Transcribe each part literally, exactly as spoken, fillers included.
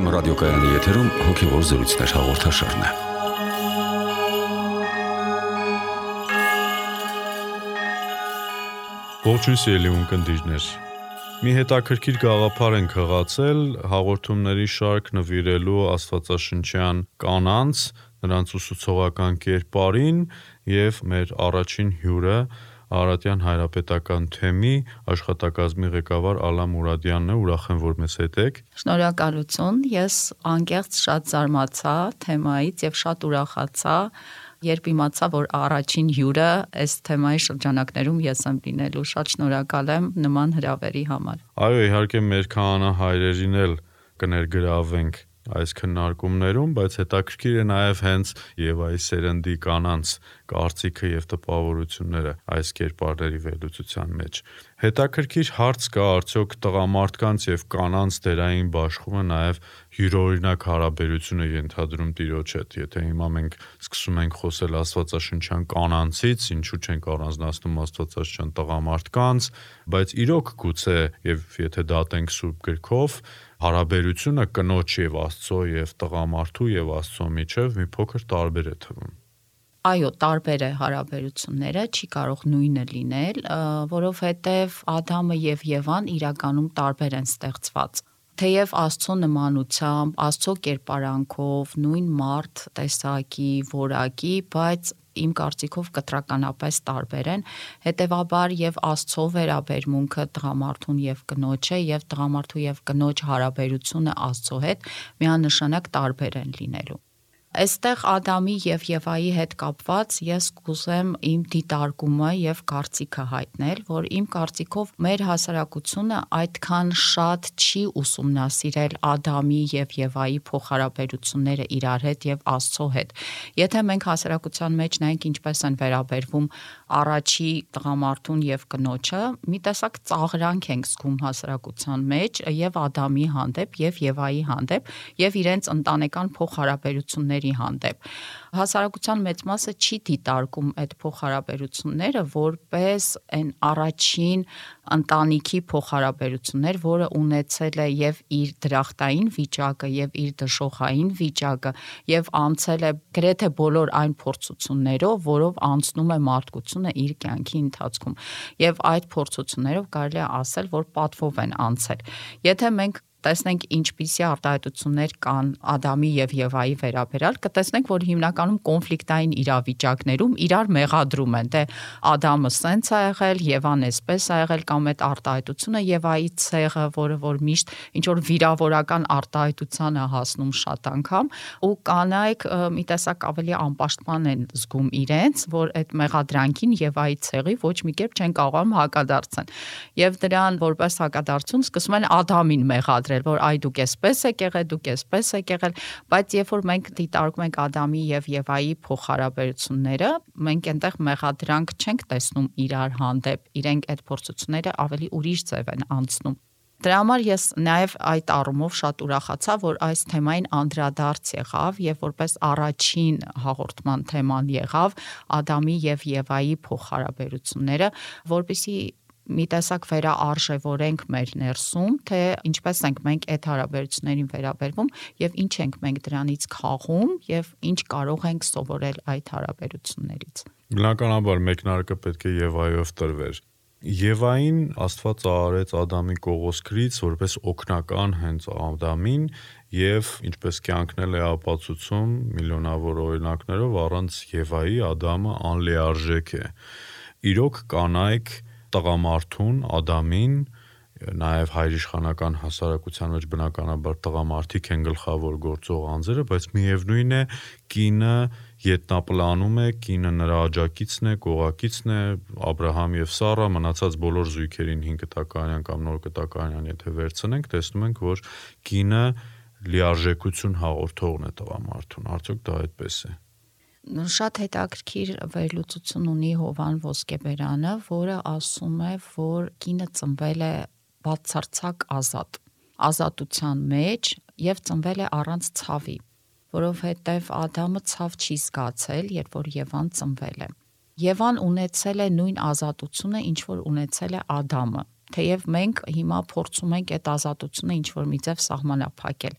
Վայ Էմ ռադիոկայանի եթերում հոգևոր զրույցներ հաղորդաշարն է։ Ողջույն սիրելի ունկնդիրներ։ Մի հետաքրքիր գաղափար ենք հղացել հաղորդումների շարք նվիրելու աստվածաշնչյան կանանց, նրանց ուսուցողական կերպարին եւ մեր առաջին հյուրը Արարատյան հայրապետական թեմի աշխատակազմի ղեկավար Ալա Մուրադյանն է, ուրախ եմ, որ մեզ հետ եք։ Շնորհակալություն, ես անկեղծ շատ զարմացա թեմայից եւ շատ ուրախացա, երբ իմացա, որ առաջին հյուրը այս թեմայի շրջանակներում ես եմ լինելու, շատ շնորհակալ եմ նման հրավերի համար։ Այո, իհարկե մեր քահանա-հայրերին էլ կներգրավենք այս քննարկումներում, բայց հետաքրքիր է նաև հենց Եվայի սերնդի կանանց կարծիքը եւ տպավորությունները այս կերպարների վերլուծության մեջ։ Հետաքրքիր հարց կա, արդյոք տղամարդկանց եւ կանանց դերային բաշխումը նաև յուրօրինակ հարաբերություն է ենթադրում Տիրոջ հետ։ Եթե հիմա մենք սկսում ենք խոսել աստվածաշնչյան կանանցից, ինչու չենք առանձնացնում աստվածաշնչյան տղամարդկանց, բայց իրոք գուցե եւ եթե դատենք Սուրբ գրքով, հարաբերությունը կնոջ եւ Աստծո եւ տղամարդու եւ Աստծո միջև մի փոքր տարբեր է թվում։ Այո, տարբեր է հարաբերությունները, չի կարող նույնը լինել, որովհետև Ադամը եւ Եվան իրականում տարբեր են ստեղծված։ Թեև Աստծո նմանությամբ, Աստծո կերպարանքով, նույն մարդ տեսակի, որակի, բայց իմ կարծիքով կտրականապես տարբեր են, հետևաբար եւ Աստծո վերաբերմունքը տղամարդուն եւ կնոջը եւ տղամարդու եւ կնոջ հարաբերությունը Աստծո հետ միանշանակ տարբեր են լինելու։ Այստեղ Ադամի եւ Եվայի հետ կապված ես կուզեմ իմ դիտարկումը եւ կարծիքը հայտնել, որ իմ կարծիքով մեր հասարակությունը այդքան շատ չի ուսումնասիրել Ադամի եւ Եվայի փոխհարաբերությունները իրար հետ եւ Աստծո հետ։ Եթե մենք հասարակության մեջ նայենք ինչպես են վերաբերվում առաջի տղամարդուն եւ կնոջը, մի տեսակ ծաղրանք ենք զգում հասարակության մեջ եւ Ադամի հանդեպ եւ Եվայի հանդեպ եւ իրենց ընտանեկան փոխհարաբերությունների հանդեպ։ Հասարակության մեծ մասը չի դիտարկում այդ փոխհարաբերությունները որպես այն առաջին ընտանիքի փոխհարաբերություններ, որը ունեցել է եւ իր դրախտային վիճակը եւ իր դժոխային վիճակը եւ անցել է գրեթե բոլոր այն փորձություններով, որով անցնում է մարդկությունը իր կյանքի ընթացքում։ Եվ այդ փորձություններով կարելի է ասել, որ պատվով են անցել։ Եթե մենք տեսնենք ինչպիսի արտահայտություններ կան Ադամի եւ Եվայի վերաբերյալ, կտեսնենք, որ հիմնականում կոնֆլիկտային իրավիճակներում իրար մեղադրում են, թե Ադամը սենց է եղել, Եվան էսպես է եղել, կամ այդ արտահայտությունը Եվայի ցեղը, որը որ միշտ ինչ որ վիրավորական արտահայտության է հասնում շատ անգամ, ու կանայք մի տեսակ ավելի անպաշտպան են զգում իրենց, որ այդ մեղադրանքին Եվայի ցեղի ոչ մի կերպ չեն կարողանում հակադարձեն։ Եվ դրան որպես հակադարձություն սկսում են Ադամին մեղադրել, որ այ դուք էսպես եք եղել, դուք էսպես եք եղել, բայց երբ որ մենք դիտարկում ենք Ադամի եւ Եվայի փոխհարաբերությունները, մենք այնտեղ մեղադրանք չենք տեսնում իրար հանդեպ, իրենք այդ փորձությունները ավելի ուրիշ ձև են անցնում։ Դրա համար ես նաև այդ առումով շատ ուրախացա, որ այս թեմային անդրադարձ եղավ եւ որպես առաջին հաղորդման թեման եղավ Ադամի եւ Եվայի փոխհարաբերությունները, որպեսզի մի տեսակ վերաարժևորենք մեր ներսում, թե ինչպես ենք մենք այդ հարաբերություններին վերաբերվում եւ ինչ ենք մենք դրանից քաղում եւ ինչ կարող ենք սովորել այդ հարաբերություններից։ Բնականաբար մեկնարկը պետք է Եվայով տրվեր։ Եվային Աստված արարեց Ադամի կողոսկրից որպես օգնական հենց Ադամին եւ ինչպես կյանքնել է ապացուցում միլիոնավոր օրինակներով առանց Եվայի Ադամը անլիարժեք է։ Իրոք կանայք տղամարդուն, Ադամին, նաև հայրիշխանական հասարակության մեջ բնականաբար տղամարդիկ են գլխավոր գործող անձերը, բայց միևնույն է կինը ետնապլանում է, կինը նրա աջակիցն է, կողակիցն է, Աբրահամ եւ Սառա մնացած բոլոր զույգերին հինգ կտակարանյան կամ նոր կտակարանյան եթե վերցնենք, տեսնում ենք, որ կինը լիարժեքություն հաղորդողն է տղամարդուն, արդյոք դա այդպես է։ Շատ հետաքրքիր վերլուծություն ունի Հովան Ոսկեբերյանը, որը ասում է, որ կինը ծնվել է բացարձակ ազատ, ազատության մեջ եւ ծնվել է առանց ցավի, որովհետեւ Ադամը ցավ չի զգացել, երբ որ Եվան ծնվել է։ Եվան ունեցել է նույն ազատությունը, ինչ որ ունեցել է Ադամը։ թեև մենք հիմա փորձում ենք այդ ազատությունը ինչ որ մի ձև սահմանափակել։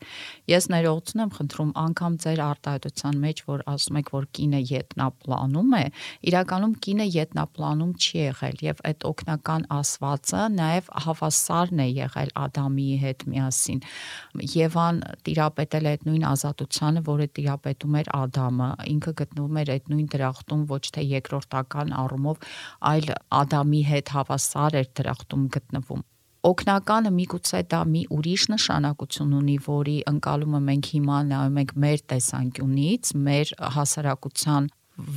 Ես ներողություն եմ խնդրում, անգամ ձեր արտահայտության մեջ, որ ասում եք, որ կինը ետնապլանում է, իրականում կինը ետնապլանում չի եղել եւ այդ օգնական ասվածը նաեւ հավասարն է եղել Ադամի հետ միասին։ Եվան տիրապետել է այդ նույն ազատությանը, որը տիրապետում էր Ադամը, ինքը գտնվում էր այդ նույն դրախտում ոչ թե երկրորդական առումով, այլ Ադամի հետ հավասար էր դրախտում գտնվում։ Օգնականը միգուցե դա մի ուրիշ նշանակություն ունի, որի ընկալումը մենք հիմա նայում ենք մեր տեսանկյունից, մեր հասարակության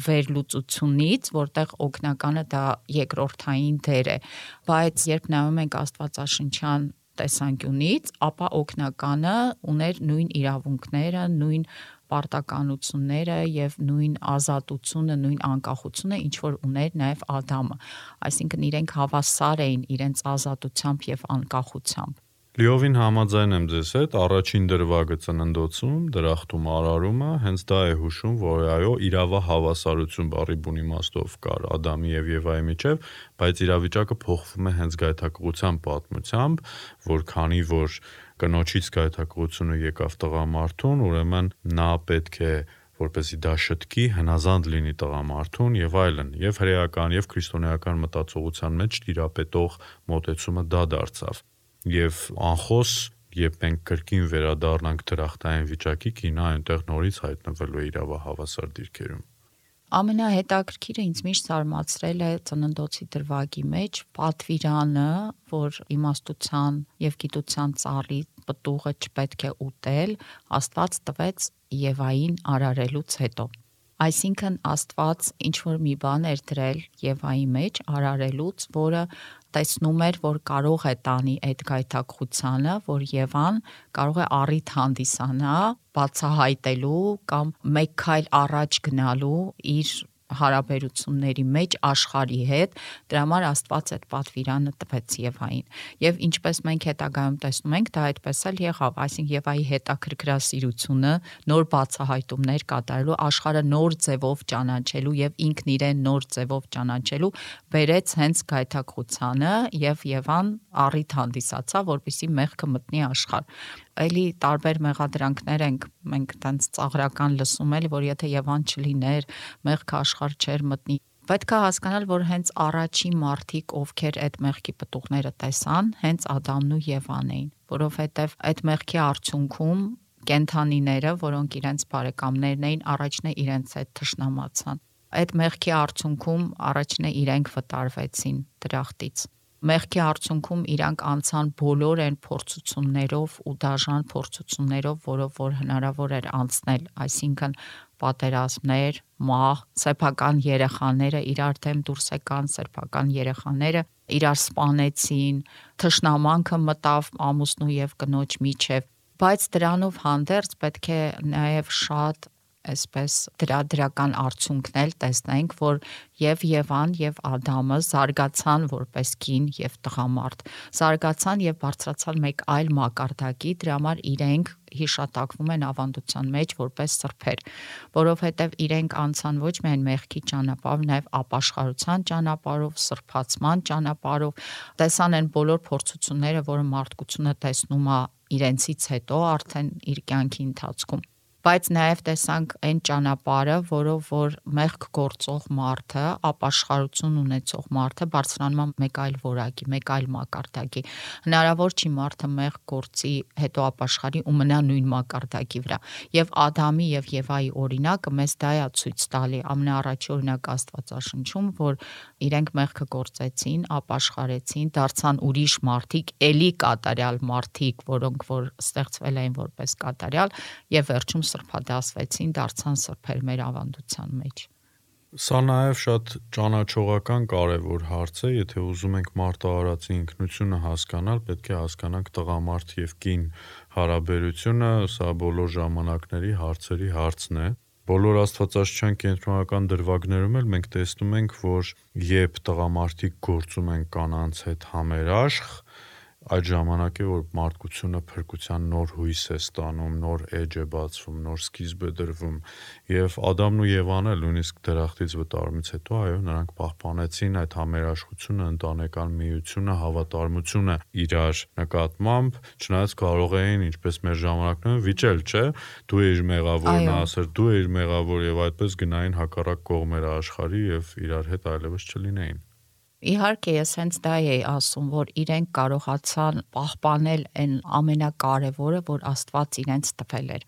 վերլուծությունից, որտեղ օգնականը դա երկրորդային դեր է, բայց երբ նայում ենք Աստվածաշնչյան տեսանկյունից, ապա օգնականը ուներ նույն իրավունքները, նույն պարտականությունները եւ նույն ազատությունը, նույն անկախությունը, ինչ որ ուներ նաեւ Ադամը, այսինքն իրենք հավասար էին իրենց ազատությամբ եւ անկախությամբ։ Լիովին համաձայն եմ ձեզ հետ, առաջին դրվագը ծննդոցում, դրախտում արարումը, հենց դա է հուշում, որ այո, իրավահավասարություն բառի բուն իմաստով կար Ադամի եւ Եվայի միջեւ, բայց իրավիճակը փոխվում է հենց գայթակղության պատմությամբ, որ քանի որ կնոջից գայթակղությունը եկավ տղամարդուն, ուրեմն նա պետք է որպեսզի դա շտկի, հնազանդ լինի տղամարդուն եւ այլն, եւ հրեական եւ քրիստոնեական մտածողության մեջ տիրապետող մոտեցումը դա դարձավ։ Եվ անխոս, երբ մենք կրկին վերադառնանք դրախտային վիճակի, կինը այնտեղ նորից հայտնվելու է իրավահավասար դիրքերում։ Ամենահետաքրքիրը ինձ միշտ զարմացրել է ծննդոցի դրվագի մեջ պատվիրանը, որ իմաստության եւ գիտության ծառի պտուղը չպետք է ուտել, Աստված տվեց Եվային արարելուց հետո։ Այսինքն Աստված ինչ որ մի բան էր դրել Եվայի մեջ արարելուց, որը տեսնում էր, որ կարող է տանի այդ գայթակղությանը, որ Եվան կարող է առիթ հանդիսանա բացահայտելու կամ մեկ քայլ առաջ գնալու իր հարաբերությունների մեջ աշխարհի հետ, դրա համար Աստված այդ պատվիրանը տվեց Եվային։ Եվ ինչպես մենք հետագայում տեսնում ենք, դա այդպես էլ եղավ, այսինքն Եվայի հետաքրքրասիրությունը, նոր բացահայտումներ կատարելու, աշխարհը նոր ձևով ճանաչելու եւ ինքն իրեն նոր ձևով ճանաչելու բերեց հենց գայթակղությանը եւ Եվան առիթ հանդիսացավ, որպեսզի մեղքը մտնի աշխարհ։ Էլի տարբեր մեղադրանքներ ենք մենք տենց ծաղրական լսում էլ, որ եթե Եվան չլիներ, մեղքը աշխարհ չէր մտնի։ Պետք է հասկանալ, որ հենց առաջին մարդիկ, ովքեր այդ մեղքի պտուղները տեսան, հենց Ադամն ու Եվան էին, որովհետև այդ մեղքի արդյունքում կենդանիները, որոնք իրենց բարեկամներն էին, առաջն է իրենց հետ թշնամացան։ Այդ մեղքի արդյունքում առաջն է իրենք վտարվեցին դրախտից։ Մեղքի արդյունքում իրանք անցան բոլոր այն փորձություններով ու դաժան փորձություններով, որով որ հնարավոր էր անցնել, այսինքն պատերազմներ, մահ, սեփական երեխաները իրար դեմ դուրս եկան, սեփական երեխաները իրար սպանեցին, թշնամանքը մտավ ամուսնու եւ կնոջ միջև, բայց դրանով հանդերձ պետք է նաեւ շատ այսպես դրադրական արդյունքն էլ տեսնենք, որ եւ Եվան եւ Ադամը զարգացան որպես կին եւ տղամարդ, զարգացան եւ բարձրացան մեկ այլ մակարդակի, դրա համար իրենք հիշատակվում են ավանդության մեջ որպես սրբեր, որովհետեւ իրենք անցան ոչ միայն մեղքի ճանապարհով, նաեւ ապաշխարության ճանապարհով, սրբացման ճանապարհով, տեսան են բոլոր փորձությունները, որը մարդկությունը տեսնում է իրենցից հետո արդեն իր կյանքի ընթացքում։ Բայց նաև տեսանք այն ճանապարհը, որով որ մեղք գործող մարդը, ապաշխարություն ունեցող մարդը բարձրանում է մեկ այլ որակի, մեկ այլ մակարդակի։ Հնարավոր չի մարդը մեղք գործի, հետո ապաշխարի ու մնա նույն մակարդակի վրա։ Եվ Ադամի եւ Եվայի օրինակը մեզ դա է ցույց տալի, ամենաառաջի օրինակը Աստվածաշնչում, որ իրենք մեղքը գործեցին, ապաշխարեցին, դարձան ուրիշ մարդիկ, էլի կատարյալ մարդիկ, որոնք որ ստեղծվել էին որպես կատարյալ եւ վերջում սրբադասվեցին, դարձան սրբեր մեր ավանդության մեջ։ Սա նաև շատ ճանաչողական կարևոր հարց է, եթե ուզում ենք մարտահարացի ինքնությունը հասկանալ, պետք է հասկանանք տղամարդ եւ կին հարաբերությունը, սա բոլոր ժամանակների հարցերի հարցն է։ Բոլոր աստվածաշնչյան կենտրոնական դրվագներում էլ մենք տեսնում ենք, որ երբ տղամարդիկ գործում են կանանց հետ համերաշխ, այդ ժամանակ է, որ մարդկությունը փրկության նոր հույս է ստանում, նոր էջ է բացվում, նոր սկիզբ է դրվում, եւ Ադամն ու Եվան էլ նույնիսկ դրախտից վտարումից հետո, այո, նրանք պահպանեցին այդ համերաշխությունը, ընտանեկան միությունը, հավատարմությունը իրար նկատմամբ, չնայած կարող էին, ինչպես մեր ժամանակներում, վիճել, չէ, դու ես մեղավոր, նա ասեր, դու ես մեղավոր, եւ այդպես գնային հակառակ կողմերը աշխարհի եւ իրար հետ այլևս չլինեին։ Իհարկե, ես հենց դա էի ասում, որ իրենք կարողացան պահպանել այն ամենակարևորը, որ Աստված իրենց տվել էր։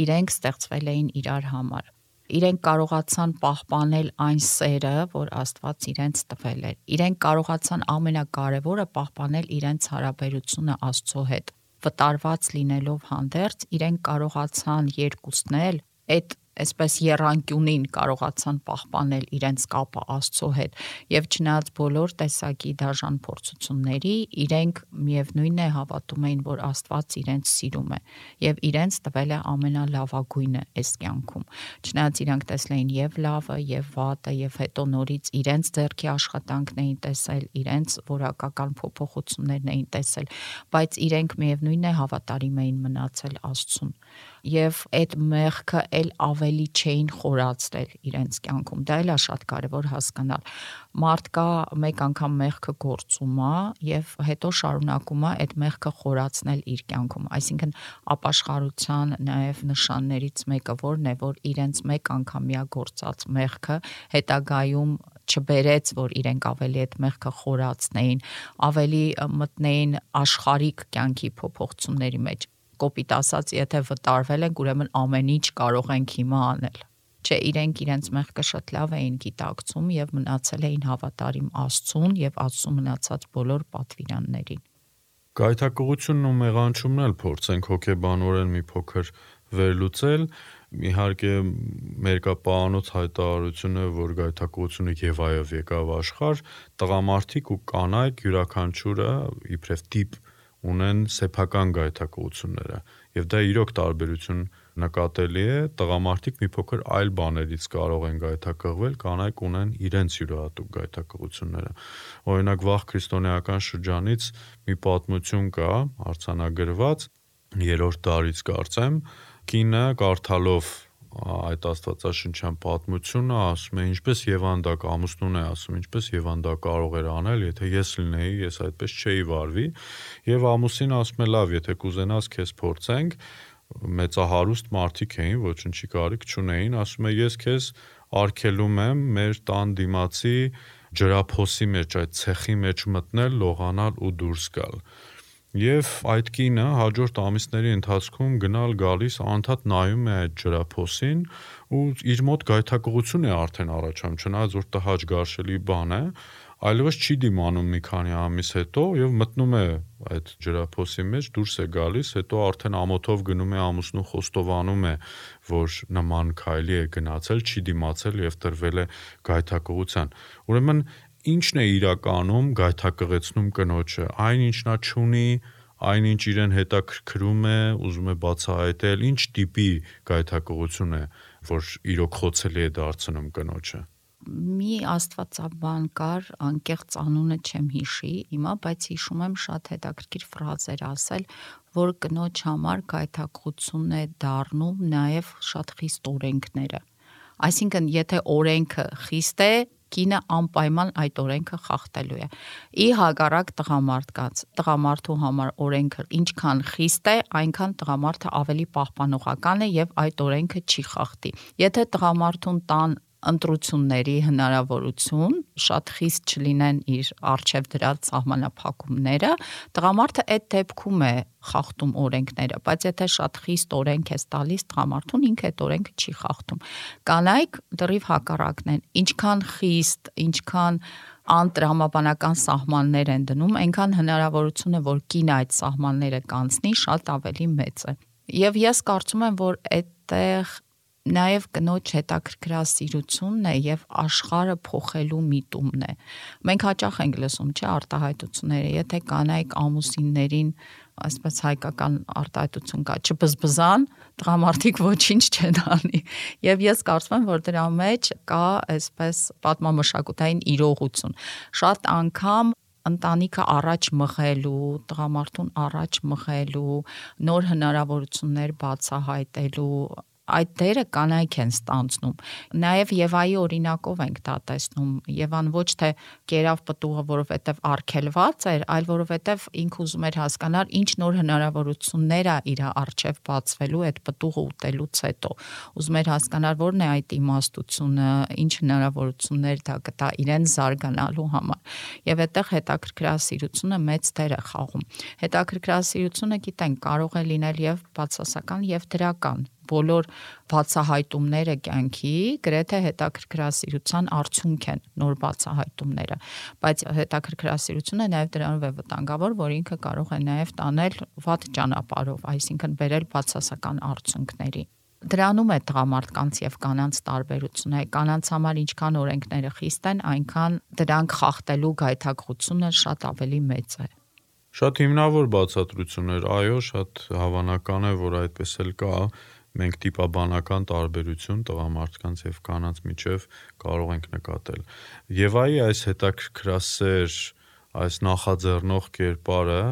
Իրենք ստեղծվել էին իրար համար։ Իրենք կարողացան պահպանել այն սերը, որ Աստված իրենց տվել էր։ Իրենք կարողացան ամենակարևորը պահպանել իրենց հարաբերությունը Աստծո հետ։ Վտարված լինելով հանդերձ, իրենք կարողացան երկուսն էլ այդ այսպես եռանկյունին կարողացան պահպանել իրենց կապը Աստծո հետ եւ չնայած բոլոր տեսակի դաժան փորձությունների իրենք միևնույնն է հավատում էին, որ Աստված իրենց սիրում է եւ իրենց տվել է ամենալավագույնը այս կյանքում։ Չնայած իրանք տեսել էին եւ լավը եւ վատը եւ հետո նորից իրենց ձեռքի աշխատանքն էին տեսել, իրենց որակական փոփոխություններն էին տեսել, բայց իրենք միևնույնն է հավատարիմ էին մնացել Աստծուն եւ այդ մեղքը էլ ավելի չէին խորացրել իրենց կյանքում։ Դա էլ է շատ կարևոր հասկանալ։ Մարդ կա մեկ անգամ մեղքը գործում է եւ հետո շարունակում է այդ մեղքը խորացնել իր կյանքում։ Այսինքն ապաշխարության նաեւ նշաններից մեկը որն է, որ իրենց մեկ անգամյա գործած մեղքը հետագայում չբերեց, որ իրենք ավելի այդ մեղքը խորացնեին, ավելի մտնեին աշխարհիկ կյանքի փոփոխությունների մեջ։ Կոպիտ ասած, եթե վտարվել ենք, ուրեմն ամեն ինչ կարող ենք հիմա անել։ Չէ, իրենք իրենց մեղքը շատ լավ էին գիտակցում եւ մնացել էին հավատարիմ Աստծուն եւ Աստծո մնացած բոլոր պատվիրաններին։ Գայթակղությունն ու մեղանչումն էլ փորձենք հոգեբանորեն մի փոքր վերլուծել։ Իհարկե մերկապահանոց հայտարարությունը, որ գայթակղությունը Եվայով եկավ աշխարհ, տղամարդիկ ու կանայք յուրաքանչյուրը իբրև տիպ ունեն սեփական գայթակղությունները եւ դա իրոք տարբերություն նկատելի է, տղամարդիկ մի փոքր այլ բաներից կարող են գայթակղվել, կանայք ունեն իրենց յուրահատուկ գայթակղությունները։ Օրինակ վաղ քրիստոնեական շրջանից մի պատմություն կա, արձանագրված երրորդ դարից կարծեմ, կինը կարդալով այդ աստվածաշնչյան պատմությունը ասում է, ինչպես Եվանդակ ամուսնուն է ասում, ինչպես Եվանդա կարող էր անել, եթե ես լինեի, ես այդպես չէի վարվի, եւ ամուսին ասում է, լավ, եթե կուզենաս քեզ փորձենք, մեծահարուստ մարդիկ էին, ոչնչի կարիք չունեին, ասում է, ես քեզ արգելում եմ մեր տան դիմացի ջրափոսի մեջ, այդ ցեխի մեջ մտնել, լողանալ ու դուրս գալ։ Եվ այդ կինը հաջորդ ամիսների ընթացքում գնալ գալիս անդադ նայում է այդ ջրափոսին ու իր մոտ գայթակղություն է արդեն առաջանում, չնայած որ տհաճ գարշելի բան է, այլևս չի դիմանում մի քանի ամիս հետո եւ մտնում է այդ ջրափոսի մեջ, դուրս է գալիս, հետո արդեն ամոթով գնում է ամուսնու խոստովանում է, որ նման քայլի է գնացել, չի դիմացել եւ տրվել է գայթակղության։ Ուրեմն ինչն է իրականում գայթակղեցնում կնոջը, այն ինչ նա չունի, այն ինչ իրեն հետաքրքրում է, ուզում է բացահայտել, ինչ տիպի գայթակղություն է, որ իրոք խոցելի է դարձնում կնոջը։ Մի աստվածաբան կար, անկեղծ անունը չեմ հիշի հիմա, բայց հիշում եմ շատ հետաքրքիր ֆրազեր ասել, որ կնոջ համար գայթակղություն է դառնում նաև շատ խիստ օրենքները։ Այսինքն, եթե օրենքը խիստ է, կինը անպայման այդ օրենքը խախտելու է։ Ի հակառակ տղամարդկանց, տղամարդու համար օրենքը ինչքան խիստ է, այնքան տղամարդը ավելի պահպանողական է եւ այդ օրենքը չի խախտի։ Եթե տղամարդուն տան ընտրությունների հնարավորություն, շատ խիստ չլինեն իր արժև դրած սահմանափակումները, տղամարդը այդ դեպքում է խախտում օրենքները, բայց եթե շատ խիստ օրենք ես տալիս տղամարդուն, ինքը այդ օրենքը չի խախտում։ Կանայք դեռիվ հակառակն են, ինչքան խիստ, ինչքան անտրամաբանական սահմաններ են դնում, այնքան հնարավորությունը, որ կինը այդ սահմանները կանցնի, շատ ավելի մեծ է։ Եվ ես կարծում եմ, որ այդտեղ նաև կնոջ հետաքրքրասիրությունն է եւ աշխարհը փոխելու միտումն է։ Մենք հաճախ ենք լսում, չէ, արտահայտությունները, եթե կանայք ամուսիններին, այսպես հայկական արտահայտություն կա, չբզբզան, տղամարդիկ ոչինչ չեն անի։ Եվ ես կարծում եմ, որ դրա մեջ կա այսպես պատմամշակութային իրողություն։ Շատ անգամ ընտանիքը առաջ մղելու, տղամարդուն առաջ մղելու, նոր հնարավորություններ բացահայտելու այդ դերը կանայք են ստանձնում։ Նաև Եվայի օրինակով ենք դա տեսնում։ Եվան ոչ թե կերավ պտուղը, որովհետև արգելված էր, այլ որովհետև ինքը ուզում էր հասկանալ ինչ նոր հնարավորություններ է իր առջև բացվելու այդ պտուղը ուտելուց հետո։ Ուզում էր հասկանալ որն է այդ իմաստությունը, ինչ հնարավորություններ դա կտա իրեն զարգանալու համար։ Եվ այդտեղ հետաքրքրասիրությունը մեծ դեր է խաղում։ Հետաքրքրասիրությունը, գիտենք, կարող է լինել եւ բացասական եւ դրական։ Բոլոր բացահայտումները կյանքի գրեթե հետաքրքրասիրության արդյունք են նոր բացահայտումները, բայց հետաքրքրասիրությունը նաև դրանով է վտանգավոր, որ ինքը կարող է նաև տանել վատ ճանապարհով, այսինքն բերել բացասական արդյունքների։ Դրանում է տղամարդկանց եւ կանանց տարբերությունը։ Կանանց համար ինչքան օրենքները խիստ են, այնքան դրանք խախտելու գայթակղությունը շատ ավելի մեծ է։ Շատ հիմնավոր բացատրություններ, այո, շատ հավանական է, որ այդպես էլ կա։ Մենք տիպաբանական տարբերություն տղամարդկանց եւ կանանց միջև կարող ենք նկատել։ Եվայի այս հետաքրքրասեր, այս նախաձեռնող կերպարը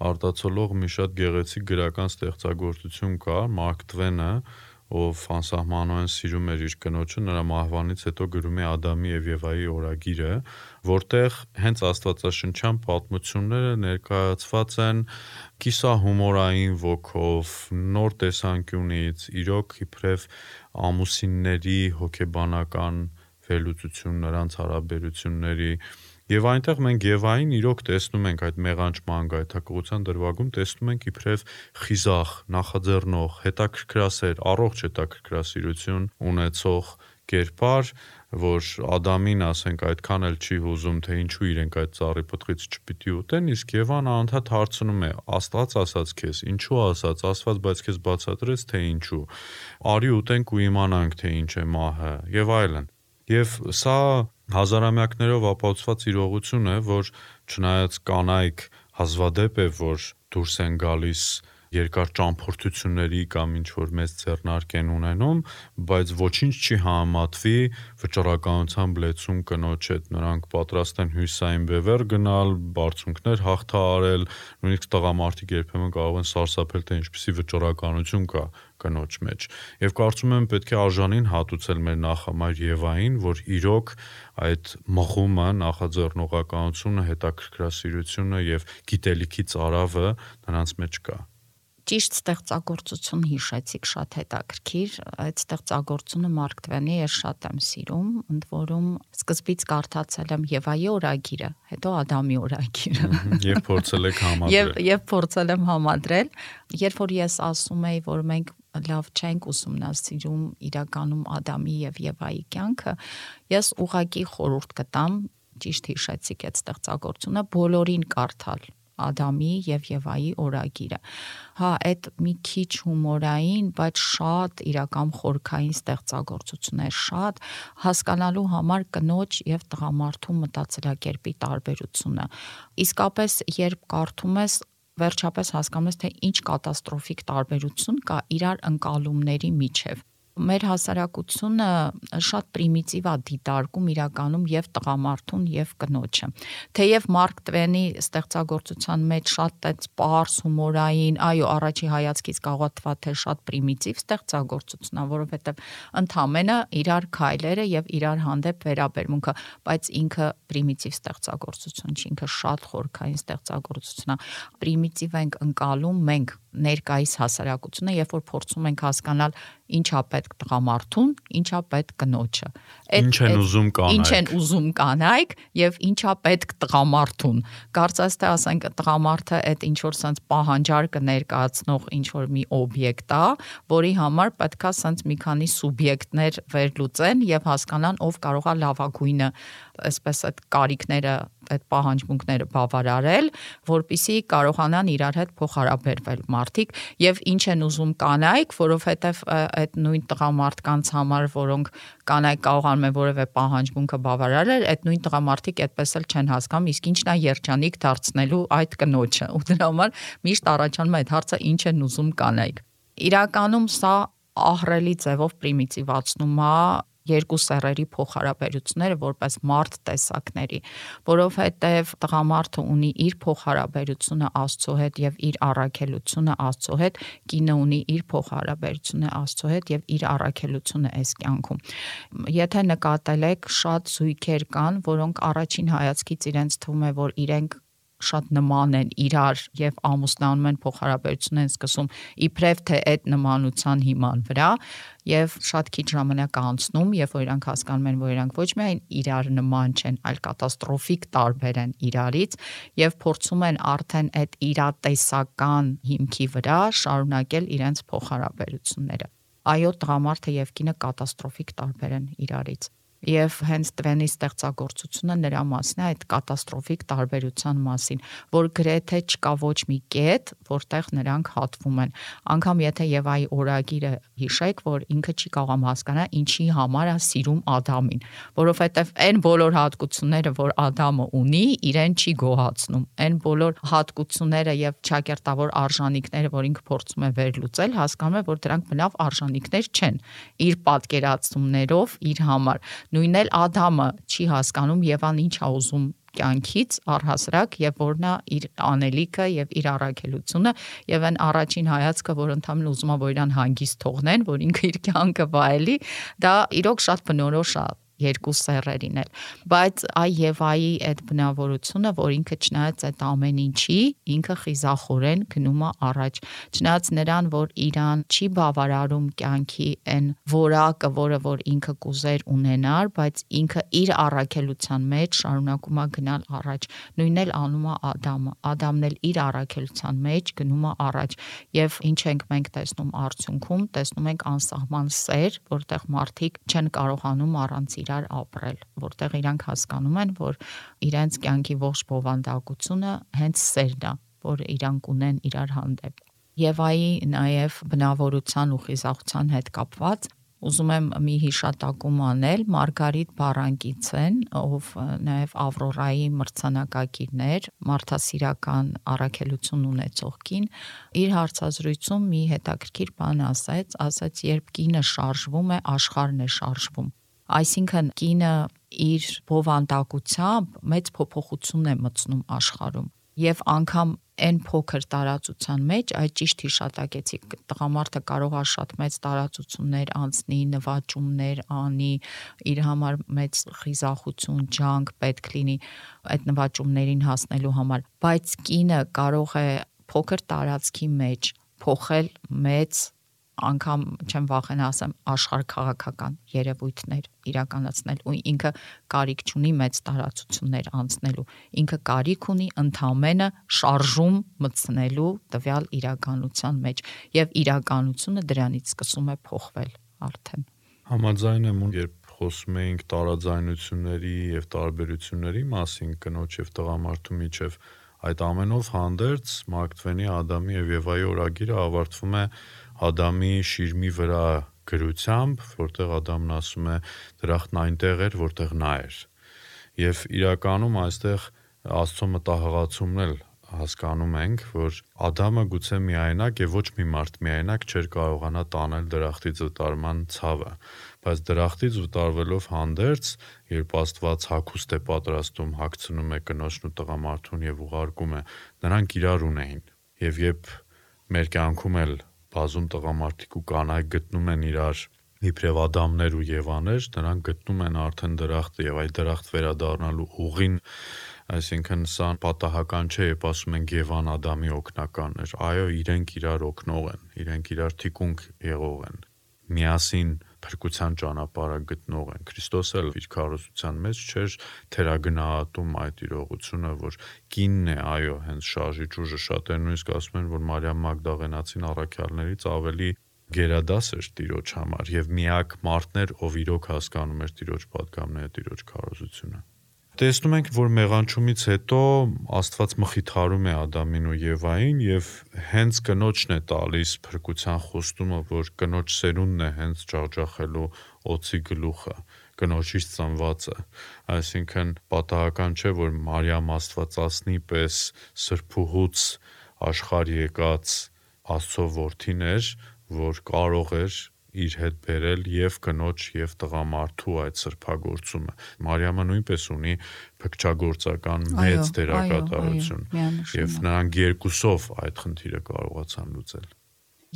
արտացոլող մի շատ գեղեցիկ գրական ստեղծագործություն կա, Մարկ Տվենը, ով անսահմանորեն սիրում էր իր կնոջը, նրա մահվանից հետո գրում է Ադամի եւ Եվայի օրագիրը, որտեղ հենց աստվածաշնչյան պատմությունները ներկայացված են կիսահումորային ոգով, նոր տեսանկյունից, իրոք իբրև ամուսինների հոգեբանական վերլուծություն, նրանց հարաբերությունների Եվ այնտեղ մենք Եվային իրոք տեսնում ենք այդ մեղանչման գայթակղության դրվագում, տեսնում ենք իբրև խիզախ, նախաձեռնող, հետաքրքրասեր, առողջ հետաքրքրասիրություն ունեցող կերպար, որ Ադամին, ասենք, այդքան էլ չի հուզում, թե ինչու իրենք այդ ծառի պտղից չպիտի ուտեն, իսկ Եվան անընդհատ հարցնում է. Աստված ասաց քեզ, ինչու ասաց, Աստված բայց քեզ բացատրեց, թե ինչու։ Արի ուտենք ու իմանանք, թե ինչ է մահը, եւ այլն։ Եվ սա հազարամյակներով ապացուցված իրողություն է, որ չնայած կանայք հազվադեպ է, որ դուրս են գալիս երկար ճամփորդությունների կամ ինչ-որ մեծ ձեռնարկ են ունենում, բայց ոչինչ չի համատվի վճռականությամբ լեցուն կնոջ հետ։ Նրանք պատրաստ են հյուսային բևեռ գնալ, բարձունքներ հաղթահարել, նույնիսկ տղամարդիկ երբեմն կարող են սարսափել, թե ինչպիսի վճռականություն կա կնոջ մեջ։ Եվ կարծում եմ պետք է արժանին հատուցել մեր նախամայր Եվային, որ իրոք այդ մղումը, նախաձեռնողականությունը, հետաքրքրասիրությունը եւ գիտելիքի ծարավը նրանց մեջ կա։ Ճիշտ ստեղծագործություն հիշեցիք, շատ հետաքրքիր, այդ ստեղծագործությունը Մարկ Տվենի ես շատ եմ սիրում, ընդ որում սկզբից կարդացել եմ Եվայի օրագիրը, հետո Ադամի օրագիրը։ Եվ փորձել եք համադրել։ Եվ եւ փորձել եմ համադրել, երբ որ ես ասում էի, որ մենք լավ չենք ուսումնասիրում իրականում Ադամի եւ Եվայի կյանքը, ես ուղղակի խորհուրդ կտամ, ճիշտ հիշեցիք այդ ստեղծագործությունը, բոլորին կարդալ Ադամի եւ Եվայի օրագիրը։ Հա, այդ մի քիչ հումորային, բայց շատ իրական խորքային ստեղծագործություն է, շատ հասկանալու համար կնոջ եւ տղամարդու մտածելակերպի տարբերությունը։ Իսկապես, երբ կարդում ես, վերջապես հասկանում ես, թե ինչ կատաստրոֆիկ տարբերություն կա իրար ընկալումների միջև։ Մեր հասարակությունը շատ պրիմիտիվ է դիտարկում իրականում եւ տղամարդուն եւ կնոջը։ Թեև Մարկ Տվենի ստեղծագործության մեջ շատ այց պարզ, հումորային, այո, առաջի հայացքից կարող է թվալ, թե շատ պրիմիտիվ ստեղծագործությունն է, որովհետեւ ընդհանրապես իրար քայլերը եւ իրար հանդեպ վերաբերմունքը, բայց ինքը պրիմիտիվ ստեղծագործություն չի, ինքը շատ խորքային ստեղծագործություն է։ Պրիմիտիվ ենք ընկալում մենք ներկայիս հասարակությունը, երբ որ փորձում ենք հասկանալ ինչա պետք տղամարդուն, ինչա պետք կնոջը։ Ինչ են ուզում կանայք։ Ինչ են ուզում կանայք եւ ինչա պետք տղամարդուն։ Կարծես թե ասենք տղամարդը այդ ինչ որ sense պահանջարկը ներկայացնող ինչ որ մի օբյեկտ է, որի համար պետքա sense մի քանի սուբյեկտներ վերլուծեն եւ հասկանան ով կարող է լավագույնը, այսպես այդ կարիքները, այդ պահանջմունքները բավարարել, որպիսի կարողանան իրար հետ փոխհարաբերվել մարդիկ եւ ինչ են ուզում կանայք, որովհետեւ այդ նույն տղամարդկանց համար, որոնք կանայք կարողանում են որևէ պահանջմունքը բավարարել, այդ նույն տղամարդիկ այդպես էլ չեն հասկանում, իսկ ինչն է երջանիկ դարձնելու այդ կնոջը։ Ու դրա համար միշտ առաջանում է այդ հարցը ինչ են ուզում կանայք։ Իրականում սա ահռելի ձևով պրիմիտիվացնում է երկու սեռերի փոխհարաբերությունները որպես մարդ տեսակների, որովհետև տղամարդը ունի իր փոխհարաբերությունը Աստծո հետ եւ իր առաքելությունը Աստծո հետ, կինը ունի իր փոխհարաբերությունը Աստծո հետ եւ իր առաքելությունը այս կյանքում։ Եթե նկատել եք, շատ զույգեր կան, որոնք առաջին հայացքից իրենց թվում է, որ իրենք շատ նման են իրար եւ ամուսնանում են, փոխհարաբերություն են սկսում իբրև թե այդ նմանության հիման վրա եւ շատ քիչ ժամանակ անցնում, երբ որ իրանք հասկանում են, որ իրանք ոչ միայն իրար նման չեն, այլ կատաստրոֆիկ տարբեր են իրարից եւ փորձում են արդեն այդ իրատեսական հիմքի վրա շարունակել իրենց փոխհարաբերությունները։ Այո, տղամարդը եւ կինը կատաստրոֆիկ տարբեր են իրարից։ Եվ հենց Տվենի ստեղծագործությունը նրա մասին է, այդ կատաստրոֆիկ տարբերության մասին, որ գրեթե չկա ոչ մի կետ, որտեղ նրանք հատվում են։ Անկամ եթե Եվայի օրագիրը հիշեք, որ ինքը չի կարող հասկանալ ինչի համար է սիրում Ադամին, որովհետև այն բոլոր հատկությունները, որ Ադամը ունի, իրեն չի գոհացնում։ Այն բոլոր հատկությունները եւ ճակերտավոր արժանինքները, որ ինքը փորձում է վերլուծել, հասկանում է, որ դրանք բնավ արժանինքներ չեն իր պատկերացումներով իր համար։ Նույնն էլ Ադամը չի հասկանում Եվան ինչ է ուզում կյանքից առհասարակ եւ որն է իր անելիքը եւ իր առաքելությունը եւ այն առաջին հայացքը, որ ընդհանրապես ուզում է որ իրան հանգիստ թողնեն, որ ինքը իր կյանքը վայելի, դա իրոք շատ բնորոշ է երկու սեռերին էլ, բայց այ Եվայի այդ բնավորությունը, որ ինքը չնայած այդ ամեն ինչի, ինքը խիզախորեն գնում է առաջ, չնայած նրան, որ իրան չի բավարարում կյանքի այն որակը, որը որ ինքը կուզեր ունենար, բայց ինքը իր առաքելության մեջ շարունակում է գնալ առաջ, նույնն էլ անում է Ադամը, Ադամն էլ իր առաքելության մեջ գնում է առաջ, եւ ինչ ենք մենք տեսնում արդյունքում, տեսնում ենք անսահման սեր, որտեղ մարդիկ չեն կարողանում առանց իրար ապրել, որտեղ իրանք հասկանում են, որ իրենց կյանքի ողջ բովանդակությունը հենց սերն է, որ իրանք ունեն իրար հանդեպ։ Եվայի նաև բնավորության ու խիզախության հետ կապված ուզում եմ մի հիշատակում անել Մարգարիտ Բարանկիցեն, ով նաև Ավրորայի մրցանակակիրն էր, մարդասիրական առաքելություն ունեցող կին, իր հարցազրույցում մի հետաքրքիր բան ասաց, ասաց, երբ կինը շարժվում է, աշխարհն է շարժվում։ Այսինքն կինը իր բովանդակությամբ մեծ փոփոխություն է մտցնում աշխարհում եւ անգամ այն փոքր տարածության մեջ, այդ ճիշտ հիշատակեցիք, տղամարդը կարող է շատ մեծ տարածություններ անցնի, նվաճումներ անի, իր համար մեծ խիզախություն, ջանք պետք լինի այդ նվաճումներին հասնելու համար, բայց կինը կարող է փոքր տարածքի մեջ փոխել մեծ անգամ չեմ վախենա ասեմ աշխարհքաղաքական երևույթներ իրականացնել ու ինքը կարիք չունի մեծ տարածություններ անցնելու, ինքը կարիք ունի ընդամենը շարժում մտցնելու տվյալ իրականության մեջ եւ իրականությունը դրանից սկսում է փոխվել արդեն։ Համաձայն եմ, երբ խոսում էինք տարաձայնությունների եւ տարբերությունների մասին կնոջ եւ տղամարդու միջեւ, այդ ամենով հանդերձ Մարկ Տվենի Ադամի եւ Եվայի օրագիրը ավարտվում է Ադամի շիրմի վրա գրությամբ, որտեղ Ադամն ասում է դրախտն այնտեղ էր, որտեղ նա էր։ Եվ իրականում այստեղ Աստծո մտահղացումն էլ հասկանում ենք, որ Ադամը գուցե միայնակ եւ ոչ մի մարդ միայնակ չէր կարողանա տանել դրախտից վտարման ցավը, բայց դրախտից վտարվելով հանդերձ, երբ Աստված հագուստ է պատրաստում, հագցնում է կնոջն ու տղամարդուն եւ ուղարկում է, նրանք իրար ունեին։ Եվ երբ մեր կյանքում էլ բազում տղամարդիկ ու կանայք գտնում են իրար իբրև Ադամներ ու Եվաներ, նրանք գտնում են արդեն դրախտը եւ այդ դրախտ վերադառնալու ուղին, այսինքն սա պատահական չէ, երբ ասում ենք Եվան Ադամի օգնականն էր, այո, իրենք իրար օգնող են, իրենք իրար թիկունք եղող են, միասին փրկության ճանապարհը գտնող են։ Քրիստոս էլ իր քարոզության մեջ չէր թերագնահատում այդ իրողությունը, որ կինն է, այո, հենց շարժիչ ուժը, շատերն նույնիսկ ասում են, որ Մարիամ Մագդաղենացին առաքյալներից ավելի գերադաս էր Տիրոջ համար եւ միակ մարդն էր, ով իրոք հասկանում էր Տիրոջ պատգամները, Տիրոջ քարոզությունը։ Տեսնում ենք, որ մեղանչումից հետո Աստված մխիթարում է Ադամին ու Եվային եւ հենց կնոջն է տալիս փրկության խոստումը, որ կնոջ սերունդն է հենց ջախջախելու օծի գլուխը, կնոջից ծնվածը։ Այսինքն պատահական չէ, որ Մարիամ Աստվածածնի պես սրբուհուց աշխարհ եկած Աստծո որդին էր, որ կարող էր իր հետ բերել եւ կնոջ եւ տղամարդու այդ սրբագործումը։ Մարիամը նույնպես ունի փքչագործական մեծ դերակատարություն եւ նրանք երկուսով այդ խնդիրը կարողացան լուծել։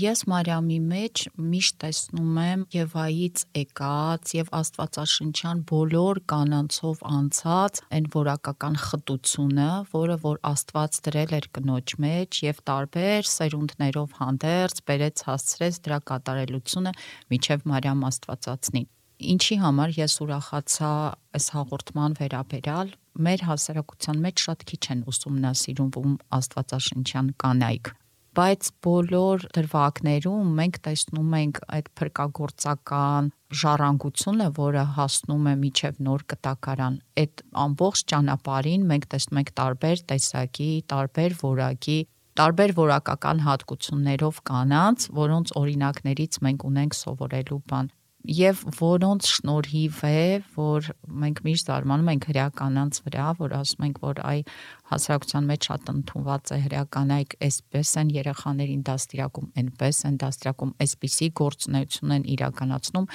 Ես Մարիամի մեջ միշտ տեսնում եմ Եվայից եկած եւ Աստվածաշնչյան բոլոր կանանցով անցած այն որակական խտությունը, որը որ Աստված դրել էր կնոջ մեջ եւ տարբեր սերունդներով հանդերձ բերեց հասցրեց դրա կատարելությունը միջև Մարիամ Աստվածածնին։ Ինչի համար ես ուրախացա այս հաղորդման վերաբերյալ, մեր հասարակության մեջ շատ քիչ են ուսումնասիրում Աստվածաշնչյան կանայք։ Բայց բոլոր դրվագներում մենք տեսնում ենք այդ փրկագործական ժառանգությունը, որը հասնում է միջև նոր կտակարան։ Այդ ամբողջ ճանապարհին մենք տեսնում ենք տարբեր տեսակի, տարբեր որակի, տարբեր որակական հատկություններով կանանց, որոնց օրինակներից մենք ունենք սովորելու բան։ Եվ որոնց շնորհիվ է, որ մենք միշտ զարմանում ենք հրեականանց վրա, որ ասում ենք, որ այ հասարակության մեջ շատ ընդունված է հրեականայք այսպես են երեխաներին դաստիարակում, այնպես են դաստիարակում, այսպիսի գործունեություն են իրականացնում։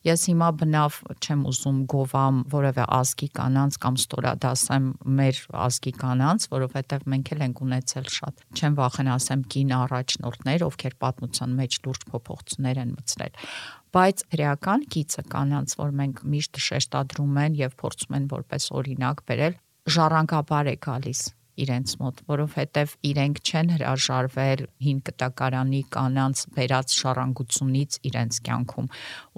Ես հիմա բնավ չեմ ուզում գովամ որևէ ազգի կանանց կամ ստորադասեմ մեր ազգի կանանց, որովհետև մենք էլ ենք ունեցել շատ, չեմ վախենա ասեմ կին առաջնորդներ, ովքեր պատմության մեջ լուրջ փոփոխություններ են մտցրել։ Բայց հրեական գիծը կանանց, որ մենք միշտ շեշտադրում են եւ փորձում են որպես օրինակ բերել, ժառանգաբար է գալիս իրենց մոտ, որովհետև իրենք չեն հրաժարվել հին կտակարանի կանանց բերած ժառանգությունից իրենց կյանքում,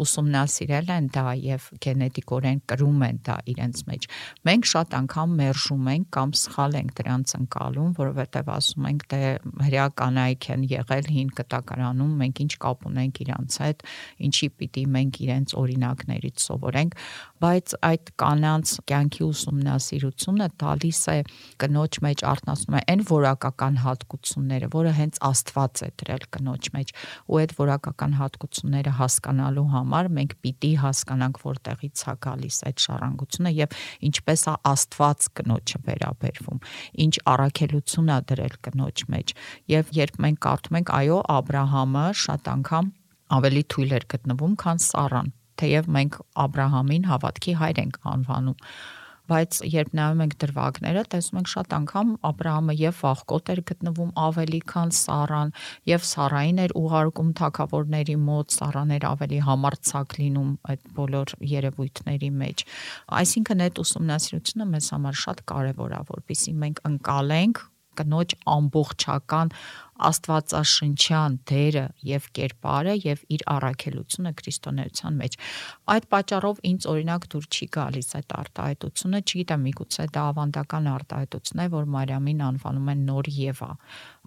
ուսումնասիրել են դա եւ գենետիկորեն կրում են դա իրենց մեջ։ Մենք շատ անգամ մերժում ենք կամ սխալ ենք դրանց ընկալում, որովհետև ասում ենք դե հրեականայք են եղել հին կտակարանում, մենք ինչ կապ ունենք իրանց հետ, ինչի պիտի մենք իրենց օրինակներից սովորենք, բայց այդ կանանց կյանքի ուսումնասիրությունը տալիս է կնոջ մեջ արտնասնում է այն որակական հատկությունները, որը հենց Աստված է դրել կնոջ մեջ, ու այդ որակական հատկությունները հասկանալու համար մենք պիտի հասկանանք որտեղից է գալիս այդ ժառանգությունը եւ ինչպես է Աստված կնոջը վերաբերվում, ինչ առաքելություն է դրել կնոջ մեջ։ Եվ երբ մենք կարդում ենք, այո, Աբրահամը շատ անգամ ավելի թույլ էր գտնվում, քան Սառան, թեև մենք Աբրահամին հավատքի հայր ենք անվանում։ Բայց երբ նայում ենք դրվագները, տեսնում ենք շատ անգամ Աբրահամը եւ վախկոտ էր գտնվում ավելի քան Սառան, եւ Սառային էր ուղարկում թագավորների մոտ, Սառան էր ավելի համարձակ լինում այդ բոլոր երևույթների մեջ։ Այսինքն այդ ուսումնասիրությունը մեզ համար շատ կարեւոր է, որպեսզի մենք ընկալենք կնոջ ամբողջական աստվածաշնչյան դերը եւ կերպարը եւ իր առաքելությունը քրիստոնեության մեջ։ Այդ պատճառով ինձ օրինակ դուր չի գալիս այդ արտահայտությունը, չգիտեմ, միգուցե դա ավանդական արտահայտություն է, որ Մարիամին անվանում են նոր Եվա։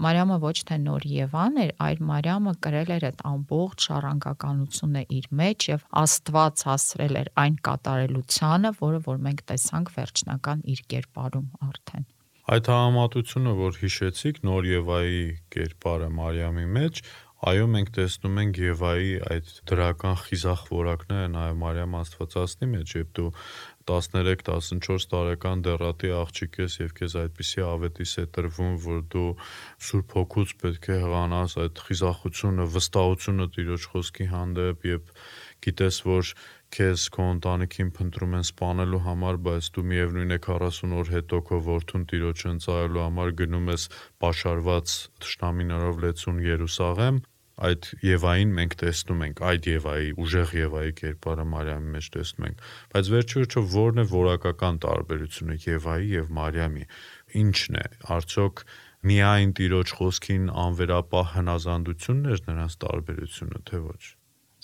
Մարիամը ոչ թե նոր Եվան էր, այլ Մարիամը կրել էր այդ ամբողջ ժառանգականությունը իր մեջ եւ Աստված հասրել էր այն կատարելությանը, որը որ մենք տեսանք վերջնական իր կերպարում արդեն։ Այդ համատությունը, որ հիշեցիք նոր Եվայի կերպարը Մարիամի մեջ, այո, մենք տեսնում ենք Եվայի այդ դրական խիզախ որակները նաև Մարիամ Աստվածածնի մեջ, երբ դու տասներեք տասնչորս տարեկան դեռատի աղջիկ ես եւ քեզ այդպիսի ավետիս է տրվում, որ դու Սուրբ Հոգուց պետք է հղանաս այդ խիզախությունը, վստահությունը Տիրոջ խոսքի հանդեպ եւ գիտես, որ քեզ քո ընտանիքին փնտրում են սպանելու համար, բայց դու միևնույն է քառասուն օր հետո քո որդուն Տիրոջը ընծայելու համար գնում ես պաշարված թշնամիներով լեցուն Երուսաղեմ, այդ Եվային մենք տեսնում ենք, այդ Եվայի, ուժեղ Եվայի կերպարը Մարիամի մեջ տեսնում ենք, բայց վերջիվերջո ո՞րն է որակական տարբերությունը Եվայի եւ Մարիամի, ի՞նչն է, արդյոք միայն Տիրոջ խոսքին անվերապահ հնազանդությունն էր նրանց տարբերությունը, թե ոչ։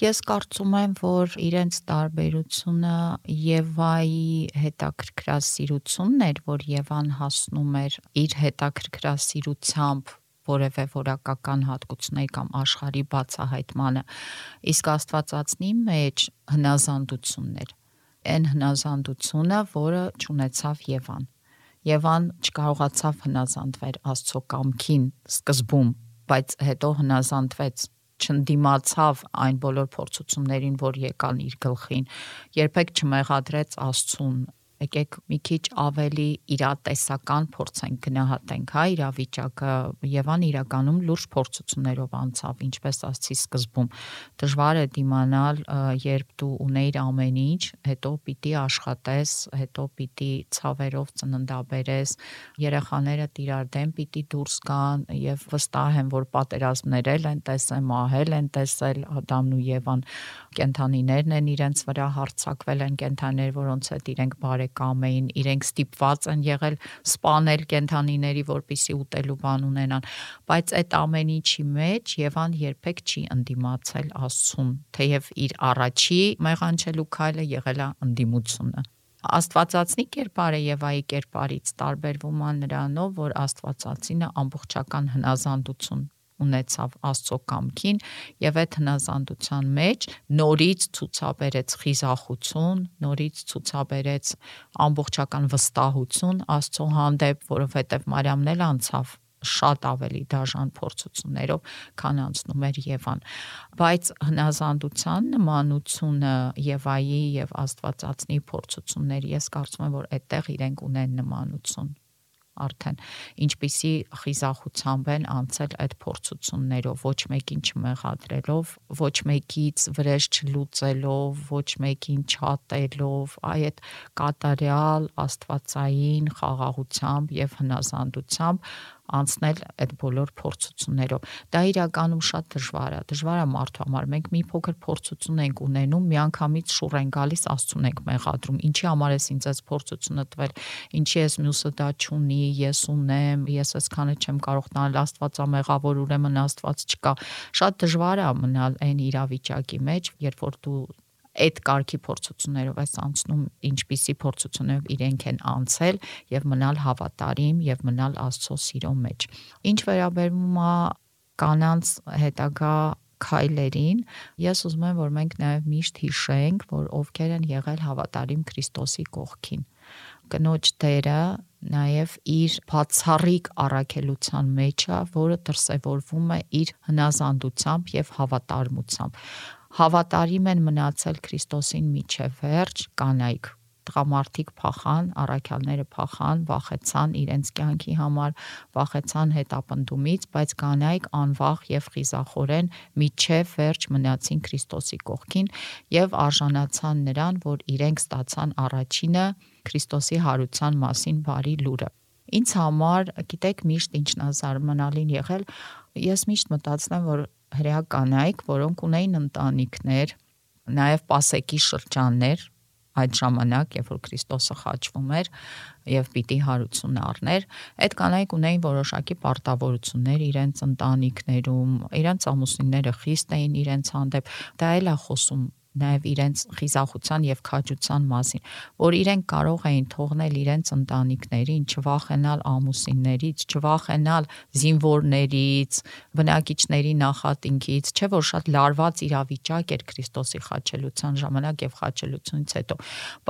Ես կարծում եմ, որ իրենց տարբերությունը Եվայի հետաքրքրասիրությունն էր, որ Եվան հասնում էր իր հետաքրքրասիրությամբ որևէ որակական հատկությունների կամ աշխարհի բացահայտմանը, իսկ Աստվածածնի մեջ հնազանդությունն էր, այն հնազանդությունը, որը չունեցավ Եվան։ Եվան չկարողացավ հնազանդվել Աստծո կամքին սկզբում, բայց հետո հնազանդվեց, չընդդիմացավ այն բոլոր փորձություններին, որ եկան իր գլխին, երբեք չմեղադրեց Աստծուն եկեք մի քիչ ավելի իրատեսական փորձենք գնահատենք, հա, իրավիճակը։ Եվան իրականում լուրջ փորձություններով անցավ, ինչպես ասացի սկզբում։ Դժվար է դիմանալ, երբ դու ունեիր ամեն ինչ, հետո պիտի աշխատես, հետո պիտի ցավերով ծննդաբերես, երեխաներդ իրար դեմ պիտի դուրս գան, եւ վստահ եմ, որ պատերազմներ են տեսել, մահել են տեսել Ադամն ու Եվան, կենդանիներն են իրենց վրա հարձակվել են, կենդանիներ, որոնց հետ իրենք բարեկամ էին, իրենք ստիպված են եղել սպանել կենդանիների, որպեսզի ուտելու բան ունենան, բայց այդ ամեն ինչի մեջ Եվան երբեք չի ընդդիմացել Աստծուն, թեև իր առաջի մեղանչելու քայլը եղել է ընդդիմությունը։ Աստվածածնի կերպարը Եվայի կերպարից տարբերվում է նրանով, որ Աստվածածինը ամբողջական հնազանդություն ունեցավ Աստծո կամքին եւ այդ հնազանդության մեջ նորից ցուցաբերեց խիզախություն, նորից ցուցաբերեց ամբողջական վստահություն Աստծո հանդեպ, որովհետեւ Մարիամն էլ անցավ շատ ավելի դաժան փորձություններով, քան անցնում էր Եվան, բայց հնազանդության նմանությունը Եվայի եւ Աստվածածնի փորձությունների, ես կարծում եմ, որ այդտեղ իրենք ունեն նմանություն արդեն ինչպիսի խիզախությամբ են անցել այդ փորձություններով, ոչ մեկին չմեղադրելով, ոչ մեկից վրեժ չլուծելով, ոչ մեկին չատելով, այդ կատարյալ աստվածային խաղաղությամբ եւ հնազանդությամբ անցնել այդ բոլոր փորձություններով։ Դա իրականում շատ դժվար է, դժվար է մարդու համար։ Մենք մի փոքր փորձություն ենք ունենում, միանգամից շուռ են գալիս, Աստծուն ենք մեղադրում։ Ինչի համար ես ինձ այս փորձությունը տվել, ինչի ես մյուսը դա չունի, ես ունեմ, ես այսքանը չեմ կարող տանել, Աստվածա մեղավոր, ուրեմն Աստված չկա։ Շատ դժվար է մնալ այն իրավիճակի մեջ, երբ որ դու այդ կարգի փորձություններով ես անցնում, ինչպիսի փորձություններով իրենք են անցել եւ մնալ հավատարիմ եւ մնալ Աստծո սիրո մեջ։ Ինչ վերաբերում է կանանց հետագա քայլերին, ես ուզում եմ, որ մենք նաեւ միշտ հիշենք, որ ովքեր են եղել հավատարիմ Քրիստոսի կողքին։ Կնոջ դերը նաեւ իր բացառիկ առաքելության մեջ է, որը դրսևորվում է իր հնազանդությամբ եւ հավատարմությամբ։ Հավատարիմ են մնացել Քրիստոսին մինչև վերջ կանայք, տղամարդիկ փախան, առաքյալները փախան, վախեցան իրենց կյանքի համար, վախեցան հետապնդումից, բայց կանայք անվախ եւ խիզախորեն մինչև վերջ մնացին Քրիստոսի կողքին եւ արժանացան նրան, որ իրենք ստացան առաջինը Քրիստոսի հարության մասին բարի լուրը։ Ինձ համար, գիտեք, միշտ ինչն է զարմանալին եղել, ես միշտ մտածում եմ, որ հրեա կանայք, որոնք ունեին ընտանիքներ, նաև պասեկի շրջաններ, այդ ժամանակ, երբ որ Քրիստոսը խաչվում էր եւ պիտի հարություն առներ, այդ կանայք ունեին որոշակի պարտավորություններ իրենց ընտանիքներում, իրենց ամուսինները խիստ էին իրենց հանդեպ, դա էլ է խոսում նաև իրենց խիզախության եւ քաջության մասին, որ իրենք կարող էին թողնել իրենց ընտանիքներին, չվախենալ ամուսիններից, չվախենալ զինվորներից, բնակիչների նախատինքից, չէ՞ որ շատ լարված իրավիճակ էր Քրիստոսի խաչելության ժամանակ եւ խաչելությունից հետո,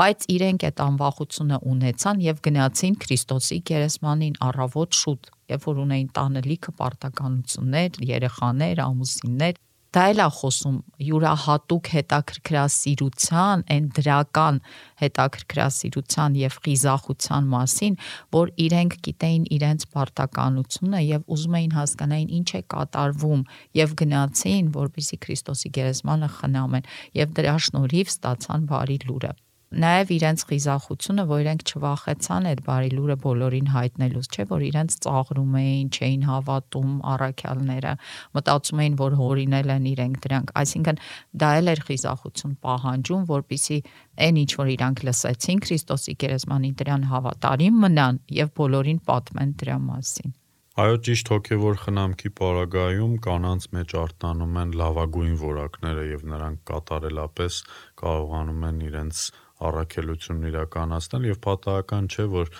բայց իրենք այդ անվախությունը ունեցան եւ գնացին Քրիստոսի գերեզմանին առավոտ շուտ, երբ որ ունեին տանը լիքը պարտականություններ, երեխաներ, ամուսիններ։ Դա էլ է խոսում յուրահատուկ հետաքրքրասիրության, այն դրական հետաքրքրասիրության եւ խիզախության մասին, որ իրենք գիտեին իրենց պարտականությունը եւ ուզում էին հասկանային ինչ է կատարվում եւ գնացին, որպեսզի Քրիստոսի գերեզմանը խնամեն եւ դրա շնորհիվ ստացան բարի լուրը։ Նաև իրենց խիզախությունը, որ իրենք չվախեցան այդ բարի լուրը բոլորին հայտնելուց, չէ՞ որ իրենց ծաղրում էին, չէին հավատում առաքյալները, մտածում էին, որ հորինել են իրենք դրանք, այսինքն դա էլ էր խիզախություն պահանջում, որպեսզի այն ինչ որ իրանք լսեցին Քրիստոսի գերեզմանին դրան հավատարիմ մնան եւ բոլորին պատմեն դրա մասին։ Այո, ճիշտ հոգևոր խնամքի պարագայում կանանց մեջ արտանում են լավագույն որակները եւ նրանք կատարելապես կարողանում են իրենց առաքելությունն իրականացնել եւ պատահական չէ, որ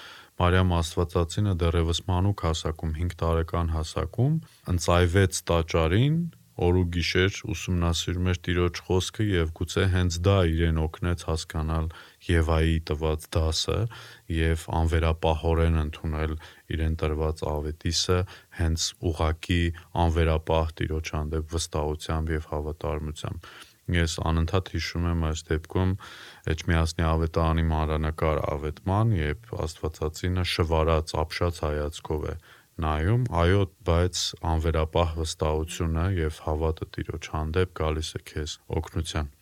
Մարիամ Աստվածածինը դեռևս մանուկ հասակում, հինգ տարեկան հասակում ընծայվեց տաճարին, օր ու գիշեր ուսումնասիրում էր Տիրոջ խոսքը եւ գուցե հենց դա իրեն օգնեց հասկանալ Եվայի տված դասը եւ անվերապահորեն ընդունել իրեն տրված ավետիսը հենց ուղակի անվերապահ Տիրոջ հանդեպ վստահությամբ եւ հավատարմությամբ։ Ես անընդհատ հիշում եմ այս դեպքում Էջմիածնի ավետարանի մանրանկար ավետման, երբ Աստվածածինը շվարած, ապշած հայացքով է նայում, այո, բայց անվերապահ վստահությունը եւ հավատը Տիրոջ հանդեպ գալիս է քեզ օգնության։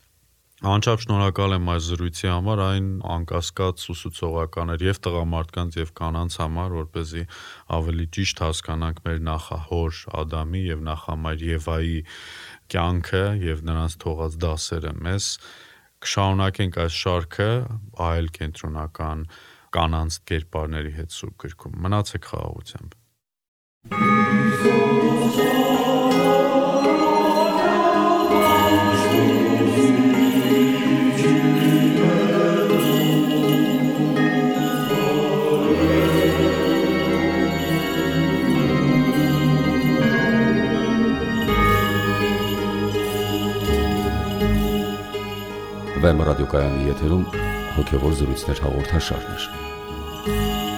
Անչափ շնորհակալ եմ այս զրույցի համար, այն անկասկած ուսուցողական էր եւ տղամարդկանց եւ կանանց համար, որպեսզի ավելի ճիշտ հասկանանք մեր նախահոր Ադամի եւ նախամայր Եվայի կյանքը եւ նրանց թողած դասերը մեզ։ Կշարունակենք այս շարքը այլ կենտրոնական կանանց կերպարների հետ Սուրբ գրքում։ Մնացեք խաղաղությամբ։ Վեմ ռադիոկայանի եթերում հոգևոր զրույցներ հաղորդաշարներ։